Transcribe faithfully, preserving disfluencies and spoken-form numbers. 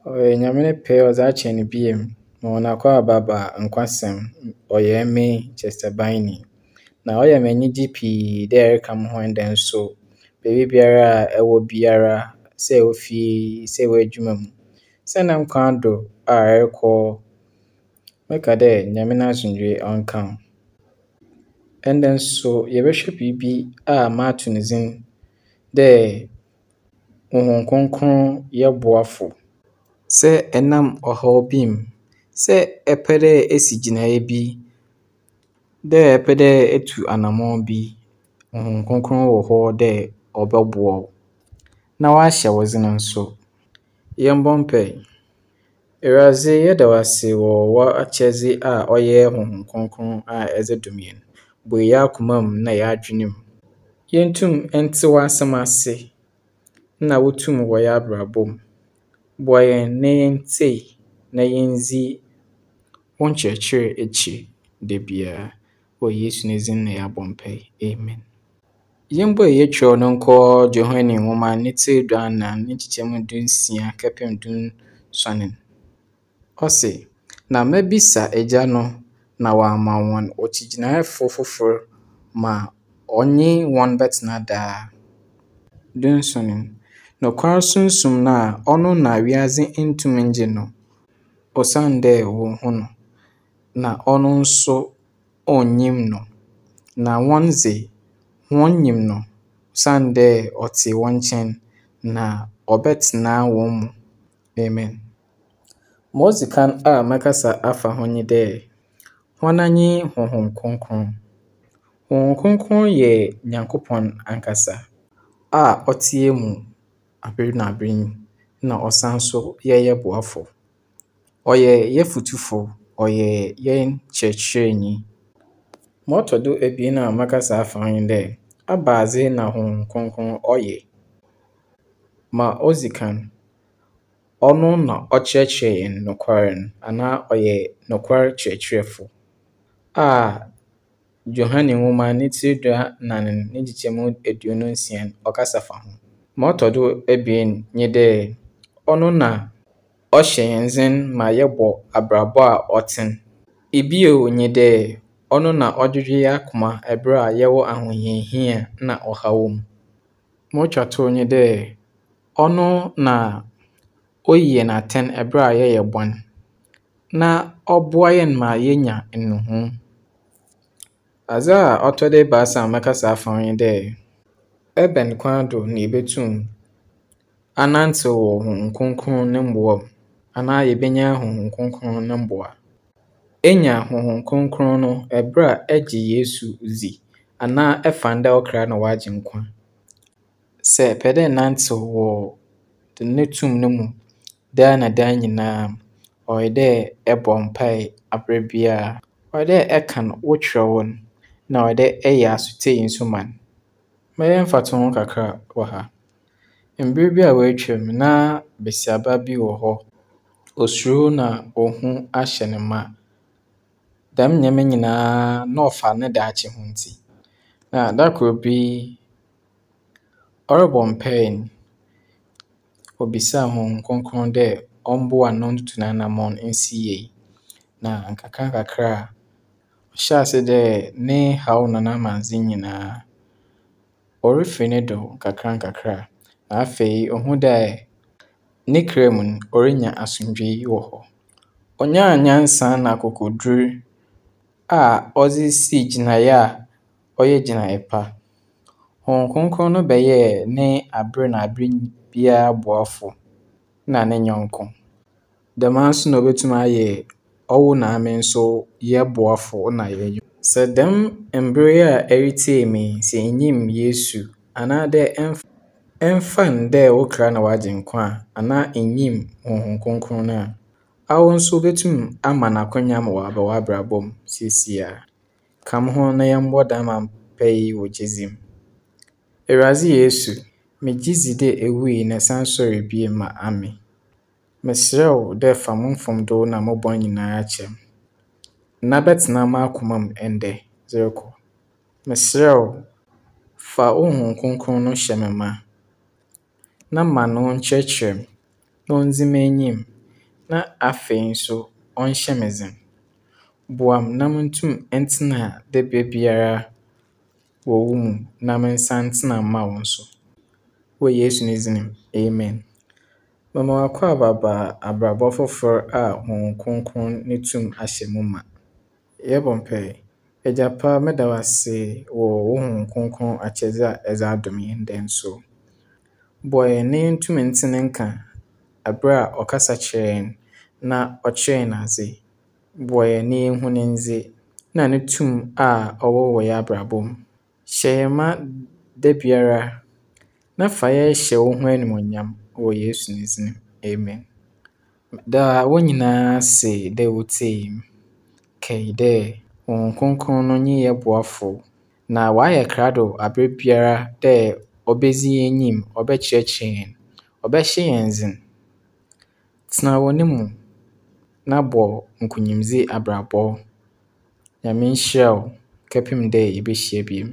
Ɔyɛ Nyame ne pɛ ɔdze akyɛ hɛn bio. Ma hɔn akwaaba ba Nkwasɛm. Ɔyɛ emi, Chester Biney. Na ɔyɛ me enyigye pii dɛ ereka mo ho ndɛ nso. Beebi biara a ɛwɔ biara, sɛ ɛwɔ fie, sɛ ɛwɔ edwuma mu, sɛ nam kwan do a ɛrekɔ, meka dɛ Nyame n'asomdwee ɔnka wo. Ndɛ nso yɛbɛhwɛ biribi a mato ne dzin dɛ Honhom Kronkron yɛ boafo. Sɛ ɛnam ɔhaw bi mu, sɛ ɛpɛ dɛ esi gyinae bi, dɛ ɛpɛ dɛ etu anamɔn bi, Honhom Kronkron wɔ hɔ dɛ ɔbɛboa wo na ɔahyɛ wo dzen nso. Yɛmbɔ mpae. Ewuradze, yɛda wo ase wɔ w'akyɛdze a ɔyɛ Honhom Kronkron a ɛdze dom hɛn. Bue hɛn akoma mu na hɛn adwen mu. Yentum ntse w'asɛm ase na wo tum wɔ hɛn abrabɔ mu. Boa hɛn na yɛntsie na yɛndzi wo nkyerɛkyerɛ ekyir da biara. Wɔ Yesu ne dzin na yɛabɔ mpae. Amen. Yɛmbue yɛn kyerɛw no nkɔ Johane nwoma ne tsir duanan ne nkyekyɛmu dunsia kɛpem dunsuon. Ɔse, na mebisa Egya no na ɔama hɔn okyigyinafo fofor ma ɔnye hɔn bɛtsena daa. Dunson, nokwar Sunsum no a ɔno na wiadze nntum nngye no, osiandɛ wonnhu no, na ɔno nso onnyim no. Na hɔn dze, hɔn nyim no, osiandɛ ɔtse hɔn nkyɛn na ɔbɛtsena hɔn mu. Amen. Ma odzi kan a mɛkasa afa ho nye dɛ, hɔn nye Honhom Kronkron. Honhom Kronkron yɛ Nyankopɔn ankasa a ɔtse hɛn mu aber na aber yi na ɔsan so yɛ hɛn boafo. Ɔyɛ hɛn fotufo, ɔyɛ hɛn kyerɛkyerɛnyi. Ma ɔtɔ do ebien a mɛkasa afa ho nye dɛ, ebɛnadze na Honhom Kronkron ɔyɛ? Ma odzi kan, ɔno na ɔkyerɛkyerɛ hɛn nokwar no anaa ɔyɛ nokwar kyerɛkyerɛfo a Johane nwoma ne tsir duanan ne nkyekyɛmu eduonu nsia ɔkasa fa ho. Ma ɔtɔ do ebien nye dɛ, ɔno na ɔhyɛ hɛn dzen ma yɛbɔ abrabɔ a ɔtsen. Ebio nye dɛ, ɔno na ɔdwedwe hɛn akoma ber a yɛwɔ ahohiahia na ɔhaw mu. Ma otwa tow nye dɛ, ɔno na oyi hɛn atsɛn ber a yɛyɛ bɔn na ɔboa hɛn ma yenya nnuhu. Adze a ɔtɔ do ebiasa a mɛkasa afa ho nye dɛ, ebɛn kwan do na yebotum anantsew wɔ Honhom Kronkron no mboa mu anaa yebenya Honhom Kronkron no mboa. Enya Honhom Kronkron no ber a egye Yesu dzi anaa ɛfa no dɛ wo kra na w'agyenkwa. Sɛ epɛ dɛ enantsew wɔ ne tum no mu daa na daa nyinaa, ɔyɛ dɛ ebɔ mpae aber biara. Ɔyɛ dɛ ɛkan wo kyerɛw no na ɔyɛ dɛ ɛyɛ asotsie nso ma no. Mɛyɛ mfatoho kakra wɔ ha. Mber bi a woetwa mu na basiaba bi wɔ hɔ. Osuro na ohu ahyɛ no ma. Dɛm ndzɛmba nyinaa na ɔfa ne daakye ho ntsi. Na da kor bi, ɔrobɔ mpae no, obisaa Honhom Kronkron dɛ ɔmboa no na ontutu n'anamɔn nsi yie. Na nkakrankakra ɔhyɛɛ ase dɛ ne haw na n'amandze nyinaa orifi no do nkakrankakra. Na afei ohun dɛ ne kra mu no, orinya asomdwee wɔ hɔ. Onyaa nyansa na akokodur a ɔdze sii gyinae a ɔyɛ gyinae pa. Honhom Kronkron no bɛyɛɛ ne aber na aber biara boafo na ne nyɛnko. Dɛm ara nso na obotum ayɛ ɔwo na ame nso yɛn boafo na yɛn nyɛnko. Sɛ dɛm mber yi a eretsie me yi, sɛ innyim Yesu anaadɛ ɛmmfa no dɛ wo kra na w'agyenkwa a, anaa innyim Honhom Kronkron no a, awo nso botum ama no akwanya ma ɔaba w'abrabɔ mu seseiara. Ka mo ho na yɛmbɔ dɛm mpaa yi wɔ gyedzi mu. Ewuradze Yesu, megye dzi dɛ ewui na esan soɛr bio ma ame. Meserɛ wo dɛ fa mo mfomdo na mo bɔn nyinara kyɛ me, na bɛtsena m'akoma mu ndɛ dze rokɔ. Meserɛ wo, fa wo Honhom Kronkron no hyɛ me ma, na ma no nkyerɛkyerɛ me na ondzi m'enyim na afei so ɔnhyɛ me dzen. Boa me na muntum ntsena da biara wɔ wo mu na mensan ntsena mma wo nso. Wɔ Yesu ne dzin mu, amen. Mema wo akwaaba ba abrabɔ fofor a Honhom Kronkron ne tum ahyɛ mu ma. Yɛbɔ mpae. Agya pa, meda wo ase wɔ wo Honhom Kronkron akyɛdze a ɛdze adom hɛn dɛ nso. Boa hɛn na yentum ntse ne nka aber a ɔkasa kyerɛ hɛn na ɔkyerɛ hɛn adze. Boa hɛn na yenhu ne ndze na no tum a ɔwɔ wɔ hɛn abrabɔ mu. Hyɛ hɛn ma da biara na fa yɛn hyɛ wo ho enyimnyam wɔ Yesu ne dzin mu. Amen. Da wɔn nyinaa ase dɛ wotsie me. Kae dɛ Honhom Kronkron no nye yɛn boafo na ɔayɛ krado aber biara dɛ obedzi hɛn enyim, ɔbɛkyerɛkyerɛ hɛn, ɔbɛhyɛ hɛn dzen. Tsena wɔ no mu na bɔ nkunyimdzi abrabɔ. Nyame nhyira wo kɛpem dɛ yebehyia bio.